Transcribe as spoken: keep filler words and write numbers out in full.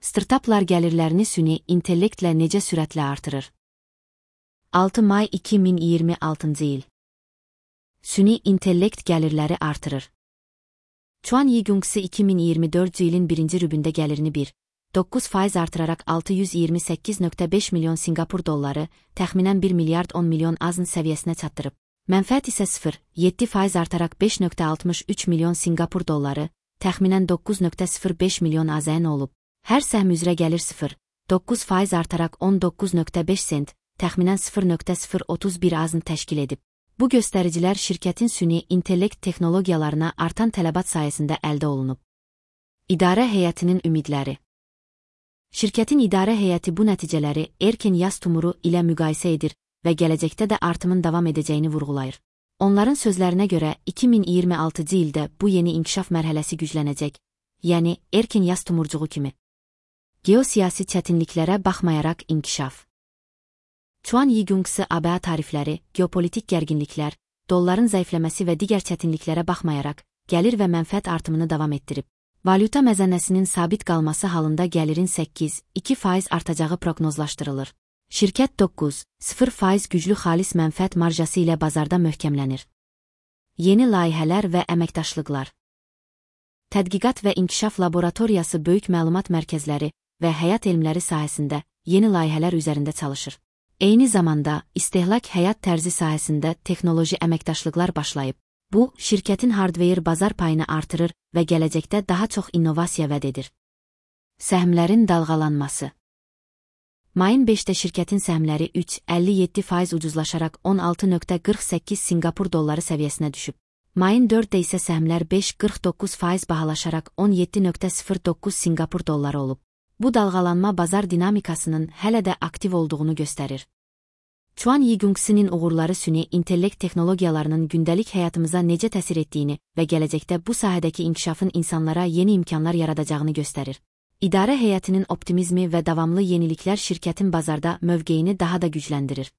Startaplar gəlirlərini süni intellektlə necə sürətlə artırır? altı may iki min iyirmi altıncı il. Süni intellekt gəlirləri artırır. Chuan Yigungsi iki min iyirmi dördüncü ilin birinci rübündə gəlirini bir nöqtə doqquz faiz artıraraq altı yüz iyirmi səkkiz nöqtə beş milyon Sinqapur dolları, təxminən bir milyard on milyon azn səviyyəsinə çatdırıb. Mənfəət isə sıfır nöqtə yeddi faiz artaraq beş nöqtə altmış üç milyon Sinqapur dolları, təxminən doqquz nöqtə sıfır beş milyon azn olub. Hər səhm üzrə gəlir sıfır nöqtə doqquz faiz artaraq on doqquz nöqtə beş sent, təxminən sıfır nöqtə sıfır otuz bir azn təşkil edib. Bu göstəricilər şirkətin süni intellekt texnologiyalarına artan tələbat sayəsində əldə olunub. İdarə heyətinin ümidləri. Şirkətin idarə heyəti bu nəticələri erkən yaz tumuru ilə müqayisə edir və gələcəkdə də artımın davam edəcəyini vurğulayır. Onların sözlərinə görə iki min iyirmi altıncı ildə bu yeni inkişaf mərhələsi güclənəcək, yəni erkən yaz tumurcuğu kimi. Geosiyasi çətinliklərə baxmayaraq inkişaf. Chuan Yigungsi A B A tarifləri, geopolitik gərginliklər, dolların zəifləməsi və digər çətinliklərə baxmayaraq, gəlir və mənfəət artımını davam etdirib. Valyuta məzənəsinin sabit qalması halında gəlirin səkkiz nöqtə iki faiz artacağı proqnozlaşdırılır. Şirkət doqquz nöqtə sıfır faiz güclü xalis mənfəət marjası ilə bazarda möhkəmlənir. Yeni layihələr və əməkdaşlıqlar. Tədqiqat və İnkişaf Laboratoriyası böyük məlumat mərkəzləri və həyat elmləri sahəsində yeni layihələr üzərində çalışır. Eyni zamanda, istehlak həyat tərzi sahəsində texnoloji əməkdaşlıqlar başlayıb. Bu, şirkətin hardware bazar payını artırır və gələcəkdə daha çox innovasiya vəd edir. Səhmlərin dalğalanması. Mayın beşində şirkətin səhmləri üç nöqtə əlli yeddi faiz ucuzlaşaraq on altı nöqtə qırx səkkiz Sinqapur dolları səviyyəsinə düşüb. Mayın dördündə isə səhmlər beş nöqtə qırx doqquz faiz bahalaşaraq on yeddi nöqtə sıfır doqquz Sinqapur dolları olub. Bu dalğalanma bazar dinamikasının hələ də aktiv olduğunu göstərir. Chuan Yigungsi'nin uğurları süni intellekt texnologiyalarının gündəlik həyatımıza necə təsir etdiyini və gələcəkdə bu sahədəki inkişafın insanlara yeni imkanlar yaradacağını göstərir. İdarə heyətinin optimizmi və davamlı yeniliklər şirkətin bazarda mövqeyini daha da gücləndirir.